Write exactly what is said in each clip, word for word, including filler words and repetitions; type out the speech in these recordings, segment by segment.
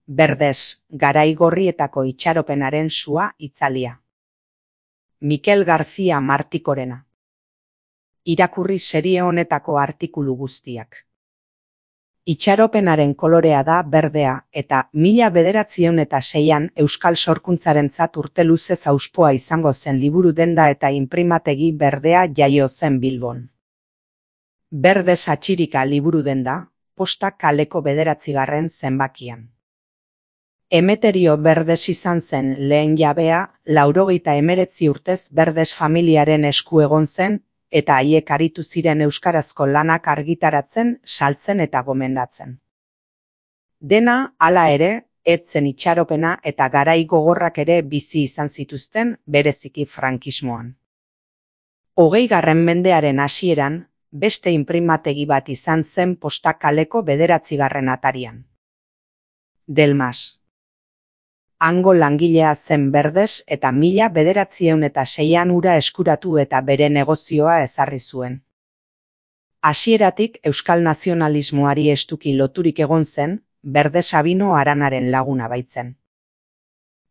Berdez, garai gorrietako itxaropenaren sua itzalia. Mikel García Martikorena. Irakurri serie honetako artikulu guztiak. Itxaropenaren kolorea da berdea eta mila bederatziehun eta seian euskal sorkuntzarentzat urte luzez auspoa izango zen liburu denda eta inprimategi Berdea jaio zen Bilbon. Berdez atxirika liburu denda, Posta kaleko bederatzigarren zenbakian. Emeterio Berdez izan zen lehen jabea, laurogeita hemeretzi urtez Berdez familiaren esku egon zen, eta haiek aritu ziren euskarazko lanak argitaratzen, saltzen eta gomendatzen. Dena, hala ere, ez zen itxaropena eta garai gogorrak ere bizi izan zituzten, bereziki frankismoan. Hogeigarren mendearen hasieran, beste inprimategi bat izan zen Posta kaleko bederatzigarren atarian. Delmas. Hango langilea zen Berdez eta mila bederatziehun eta seian ura eskuratu eta bere negozioa ezarri zuen. Hasieratik euskal nazionalismoari estuki loturik egon zen, Berdez Sabino Aranaren laguna baitzen.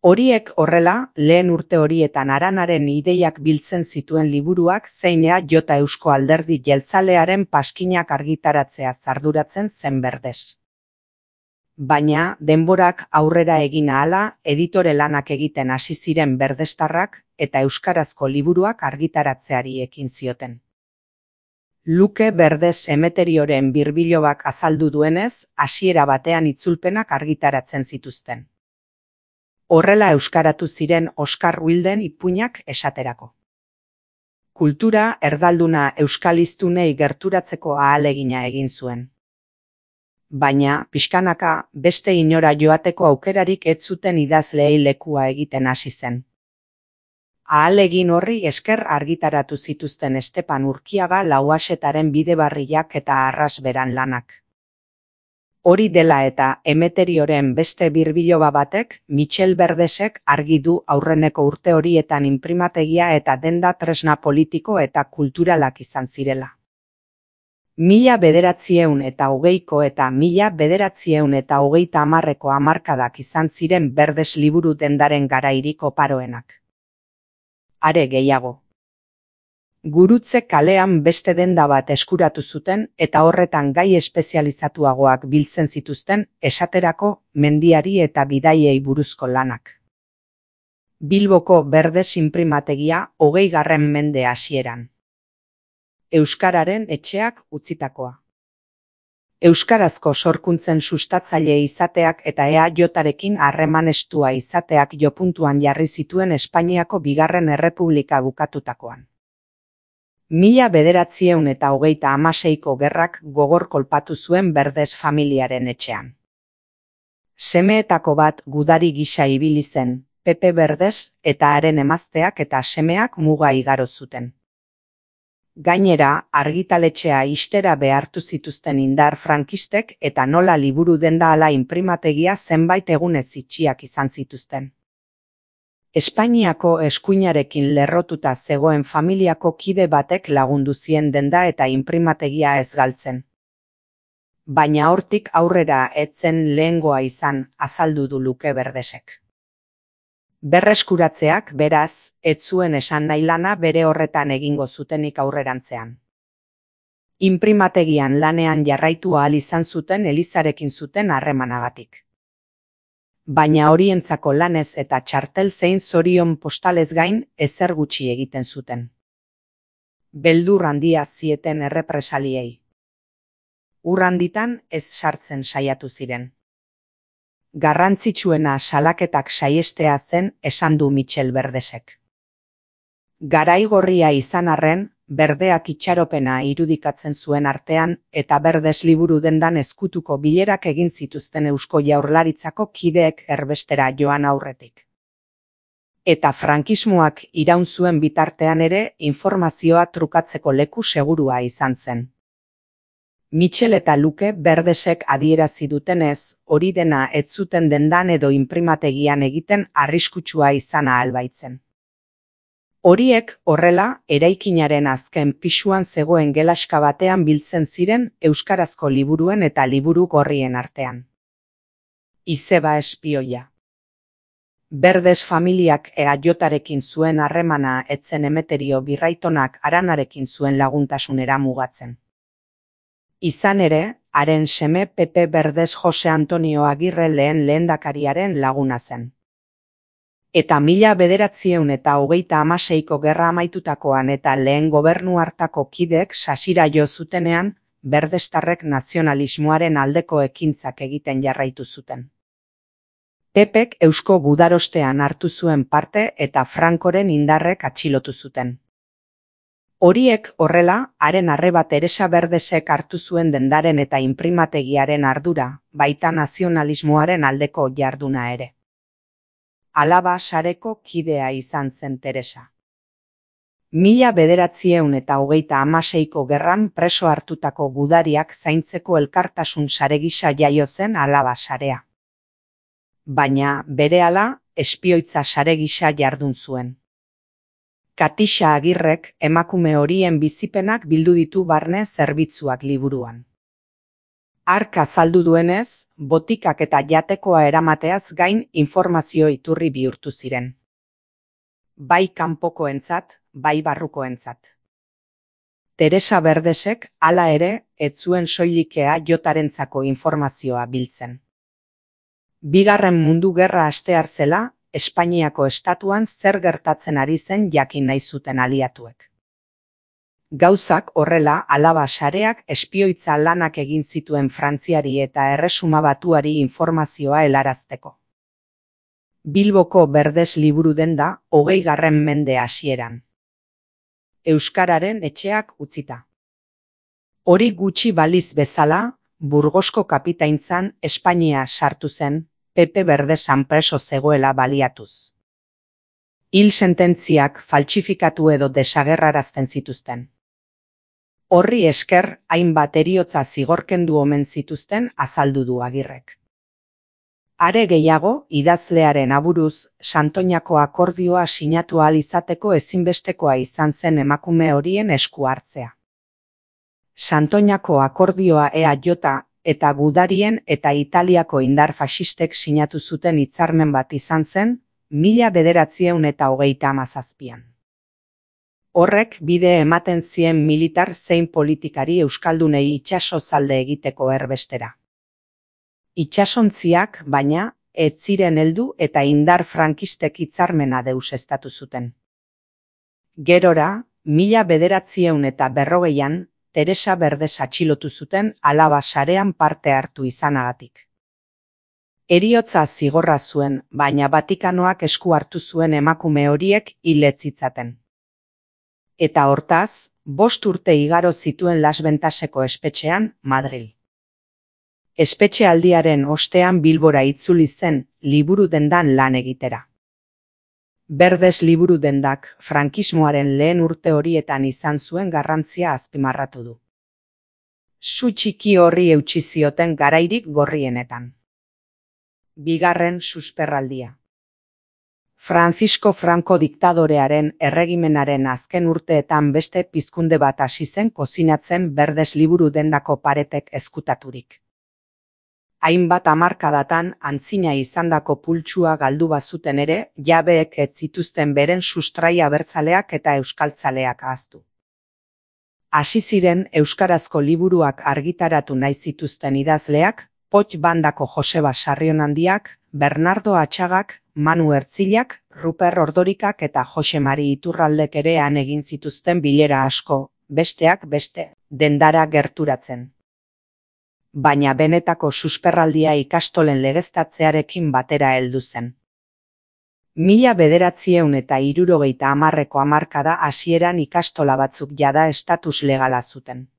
Horiek horrela, lehen urte horietan Aranaren ideiak biltzen zituen liburuak zeina jota Eusko Alderdi Jeltzalearen paskinak argitaratzea arduratzen zen Berdez. Baina, denborak aurrera egin ahala, editore lanak egiten hasi ziren berdestarrak eta euskarazko liburuak argitaratzeari ekin zioten. Luke Berdez Emeterioren birbilobak azaldu duenez, hasiera batean itzulpenak argitaratzen zituzten. Horrela euskaratu ziren Oskar Wilden ipuinak esaterako. Kultura erdalduna euskaliztunei gerturatzeko ahalegina egin zuen. Baina, pixkanaka, beste inora joateko aukerarik ez zuten idazleei lekua egiten hasi zen. Ahalegin horri esker argitaratu zituzten Estepan Urkiaga Lauaxetaren Bidebarriak eta Arrasberan lanak. Hori dela eta Emeterioren beste birbiloba batek, Michel Berdezek argi du aurreneko urte horietan inprimategia eta denda tresna politiko eta kulturalak izan zirela. Mila bederatziehun eta hogeiko eta mila bederatziehun eta hogeita hamarreko hamarkadak izan ziren Berdez liburu dendaren garairik oparoenak. Are gehiago. Gurutze kalean beste denda bat eskuratu zuten eta horretan gai espezializatuagoak biltzen zituzten, esaterako mendiari eta bidaiei buruzko lanak. Bilboko Berdez inprimategia hogeigarren mende hasieran. Euskararen etxeak utzitakoa. Euskarazko sorkuntzen sustatzaile izateak eta E A J-arekin harreman estua izateak jopuntuan jarri zituen Espainiako bigarren errepublika bukatutakoan. Mila bederatziehun eta hogeita hamaseiko gerrak gogor kolpatu zuen Berdez familiaren etxean. Semeetako bat gudari gisa ibili zen, Pepe Berdez eta haren emazteak eta semeak muga igaro zuten. Gainera, argitaletxea ixtera behartu zituzten indar frankistek eta nola liburu denda ala inprimategia zenbait egunez itxiak izan zituzten. Espainiako eskuinarekin lerrotuta zegoen familiako kide batek lagundu zien denda eta inprimategia ez galtzen. Baina hortik aurrera ez zen lehengoa izan, azaldu du Luke Berdezek. Berreskuratzeak, beraz, ez zuen esan nahi lana bere horretan egingo zutenik aurrerantzean. Inprimategian lanean jarraitu ahal izan zuten Elizarekin zuten harremanagatik. Baina horientzako lanez eta txartel zein zorion postalez gain ezer gutxi egiten zuten. Beldur handia zieten errepresaliei. Ur handitan ez sartzen saiatu ziren. Garrantzitsuena salaketak saihestea zen esan du Michel Berdezek. Garai gorria izan arren, Berdeak itxaropena irudikatzen zuen artean eta Berdez liburu dendan ezkutuko bilerak egin zituzten Eusko Jaurlaritzako kideek erbestera joan aurretik. Eta frankismoak iraun zuen bitartean ere informazioa trukatzeko leku segurua izan zen. Michel eta Luke Berdezek adierazi dutenez, hori dena ez zuten dendan edo inprimategian egiten arriskutsua izan ahal baitzen. Horiek, horrela, eraikinaren azken pisuan zegoen gelaska batean biltzen ziren euskarazko liburuen eta liburu gorrien artean. Izeba espioia. Berdes familiak eajotarekin zuen harremana etzen Emeterio Birraitonak Aranarekin zuen laguntasunera mugatzen. Izan ere, haren seme Pepe Berdes Jose Antonio Agirre lehen lehendakariaren laguna zen. Eta mila bederatziehun eta hogeita hamaseiko gerra amaitutakoan eta lehen gobernu hartako kideek sasira jo zutenean, berdestarrek nazionalismoaren aldeko ekintzak egiten jarraitu zuten. Pepek Eusko Gudarostean hartu zuen parte eta Francoren indarrek atxilotu zuten. Horiek horrela, haren arreba Teresa Berdesek hartu zuen dendaren eta inprimategiaren ardura, baita nazionalismoaren aldeko jarduna ere. Alaba sareko kidea izan zen Teresa. Mila bederatzieun eta hogeita hamaseiko gerran preso hartutako gudariak zaintzeko elkartasun sare gisa jaio zen Alaba sarea. Baina, berehala, espioitza sare gisa jardun zuen. Katixa Agirrek emakume horien bizipenak bildu ditu barne zerbitzuak liburuan. Hark azaldu duenez, botikak eta jatekoa eramateaz gain informazio iturri bihurtu ziren. Bai kanpokoentzat, bai barrukoentzat. Teresa Berdesek, hala ere, ez zuen soilikea jotarentzako informazioa biltzen. Bigarren mundu gerra hastear zela, Espainiako estatuan zer gertatzen ari zen jakin nahi zuten aliatuek. Gauzak horrela Alaba sareak espioitza lanak egin zituen Frantziari eta Erresuma Batuari informazioa helarazteko. Bilboko Berdes liburu denda hogeigarren mende hasieran. Euskararen etxeak utzita. Hori gutxi baliz bezala, Burgosko kapitaintzan Espainia sartu zen, Pepe Berdesan preso zegoela baliatuz. Hil sententziak faltsifikatu edo desagerrarazten zituzten. Horri esker, hainbat heriotza zigorkendu omen zituzten azaldu du Agirrek. Are gehiago, idazlearen aburuz, Santoñako akordioa sinatu ahal izateko ezinbestekoa izan zen emakume horien esku hartzea. Santoñako akordioa E A J eta gudarien eta Italiako indar faxistek sinatu zuten hitzarmen bat izan zen, mila bederatzieun eta hogeita hamazazpian. Horrek bide ematen zien militar zein politikari euskaldunei itsaso zalde egiteko erbestera. Itsasontziak, baina, ez ziren heldu eta indar frankistek hitzarmena deuseztatu zuten. Gerora, mila bederatzieun eta berrogeian, Teresa Berdes atxilotu zuten Alaba sarean parte hartu izanagatik. Heriotza zigorra zuen, baina Vatikanoak esku hartu zuen emakume horiek hil ez zitzaten. Eta hortaz, bost urte igaro zituen Las Ventaseko espetxean, Madril. Espetxealdiaren ostean Bilbora itzuli zen, liburu dendan lan egitera. Berdes liburu dendak frankismoaren lehen urte horietan izan zuen garrantzia azpimarratu du. Su txiki horri eutsi zioten garairik gorrienetan. Bigarren susperraldia. Francisco Franco diktadorearen erregimenaren azken urteetan beste pizkunde bat hasi zen kozinatzen Berdes liburu dendako paretek ezkutaturik. Hainbat hamarkadatan antzina izandako pultsua galdu bazuten ere, jabeek ez zituzten beren sustrai abertzaleak eta euskaltzaleak ahaztu. Hasi ziren euskarazko liburuak argitaratu nahi zituzten idazleak, Poch bandako Joseba Sarrionandiak, Bernardo Atxagak, Manu Ertzilak, Ruper Ordorikak eta Jose Mari Iturraldek ere han egin zituzten bilera asko, besteak beste, dendara gerturatzen. Baina benetako susperraldia ikastolen legeztatzearekin batera heldu zen. Mila bederatzieun eta hirurogeita hamarreko hamarkada hasieran ikastola batzuk jada estatus legala zuten.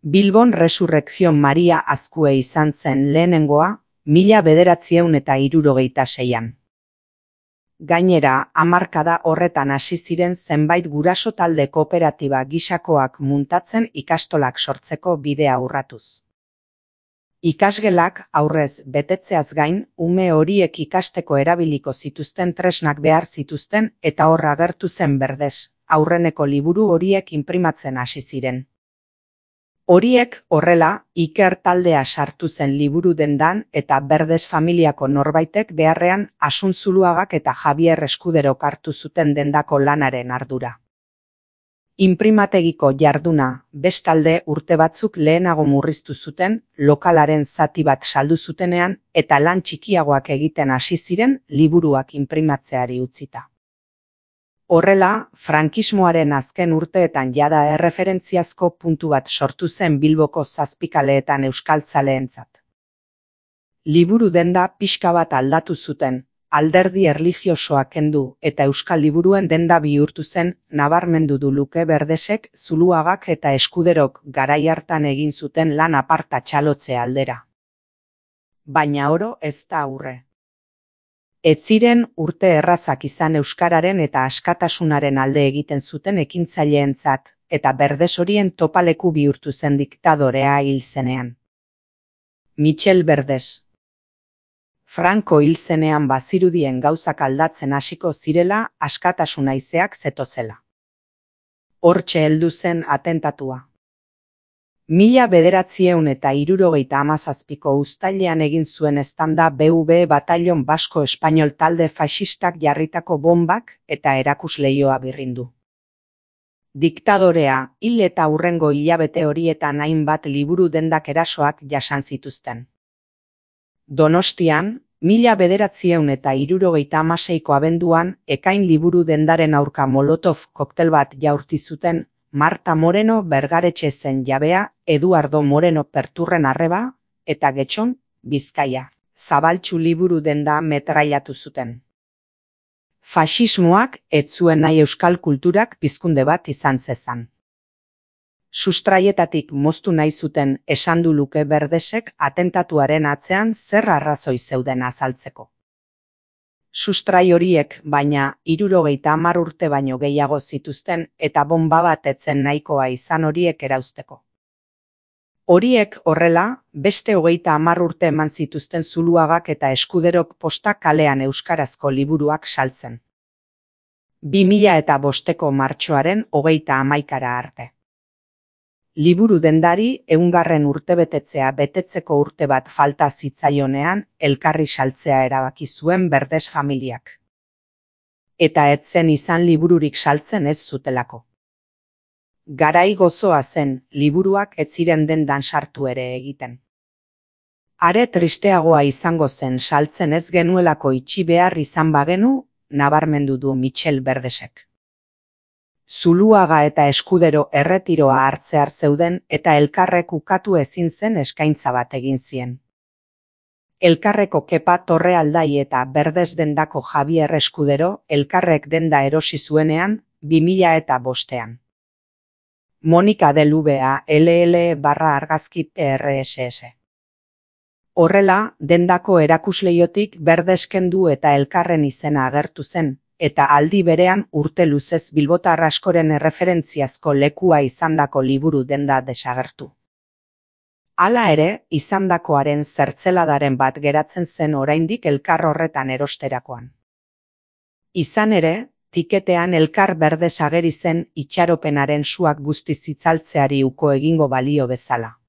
Bilbon Resurrekzion Maria Azkue izan zen lehenengoa, mila bederatzieun eta hirurogeita seian. Gainera, hamarkada horretan hasi ziren zenbait guraso talde kooperatiba gisakoak muntatzen ikastolak sortzeko bidea urratuz. Ikasgelak aurrez betetzeaz gain, ume horiek ikasteko erabiliko zituzten tresnak behar zituzten eta hor agertu zen Berdes, aurreneko liburu horiek inprimatzen hasi ziren. Horiek horrela, Iker taldea sartu zen liburu dendan eta Berdes familiako norbaitek beharrean Asun Zuluagak eta Javier Eskuderok hartu zuten dendako lanaren ardura. Inprimategiko jarduna, bestalde urte batzuk lehenago murriztu zuten, lokalaren zati bat saldu zutenean eta lan txikiagoak egiten hasi ziren liburuak inprimatzeari utzita. Horrela, frankismoaren azken urteetan jada erreferentziazko puntu bat sortu zen Bilboko zazpikaleetan euskaltzaleentzat. Liburu denda pixka bat aldatu zuten, alderdi erlijiosoa kendu eta euskal liburuen denda bihurtu zen nabarmendu du Luke Berdesek, Zuluagak eta Eskuderok garai hartan egin zuten lan aparta txalotze aldera. Baina oro ez da aurre. Ez ziren urte errazak izan euskararen eta askatasunaren alde egiten zuten ekintzaileentzat, eta Berdes horien topaleku bihurtu zen diktadorea hil zenean. Michel Berdes. Franco hil zenean bazirudien gauzak aldatzen hasiko zirela askatasun haizeak zetozela. Hortxe heldu zen atentatua. Mila bederatziehun eta hirurogeita hamazazpiko uztailean egin zuen eztanda B V Batallon Basko Espainol talde faxistak jarritako bombak eta erakusleioa birrindu. Diktadorea hil eta hurrengo hilabete horietan hainbat liburu dendak erasoak jasan zituzten. Donostian, mila bederatziehun eta hirurogeita hamaseiko abenduan, Ekain liburu dendaren aurka Molotov koktel bat jaurti zuten Marta Moreno Bergaretxe zen jabea, Eduardo Moreno Perturren arreba, eta Getxon, Bizkaia, Zabaltxu liburu denda metrailatu zuten. Faxismoak ez zuen nahi euskal kulturak pizkunde bat izan zezan. Sustraietatik moztu nahi zuten esan du Luke Berdesek atentatuaren atzean zer arrazoi zeuden azaltzeko. Sustrai horiek, baina, hirurogeita hamar urte baino gehiago zituzten eta bonba bat etzen nahikoa izan horiek erauzteko. Horiek horrela, beste hogeita hamar urte eman zituzten Zuluagak eta Eskuderok posta kalean euskarazko liburuak saltzen. Bi mila eta bosteko martxoaren hogeita hamaikara arte. Liburu dendari ehungarren urtebetetzea betetzeko urte bat falta zitzaionean elkarri saltzea erabaki zuen Berdes familiak. Eta ez zen izan libururik saltzen ez zutelako. Garai gozoa zen, liburuak ez ziren dendan sartu ere egiten. Are tristeagoa izango zen saltzen ez genuelako itxi behar izan bagenu, nabarmendu du Michel Berdesek. Zuluaga eta Eskudero erretiroa hartzear zeuden eta elkarrek ukatu ezin zen eskaintza bat egin zien. Elkarreko Kepa Torrealdai eta Berdes dendako Javier Eskudero elkarrek denda erosi zuenean bi mila eta bostean. Monika del V A L L barra argazki P R S S. Horrela, dendako erakusleiotik Berdes kendu eta elkarren izena agertu zen, eta aldi berean urte luzez bilbotar askoren erreferentziazko lekua izandako liburu denda desagertu. Hala ere, izandakoaren zertzeladaren bat geratzen zen oraindik elkar horretan erosterakoan. Izan ere, tiketean elkar Berdes ageri zen itxaropenaren suak guztiz itzaltzeari uko egingo balio bezala.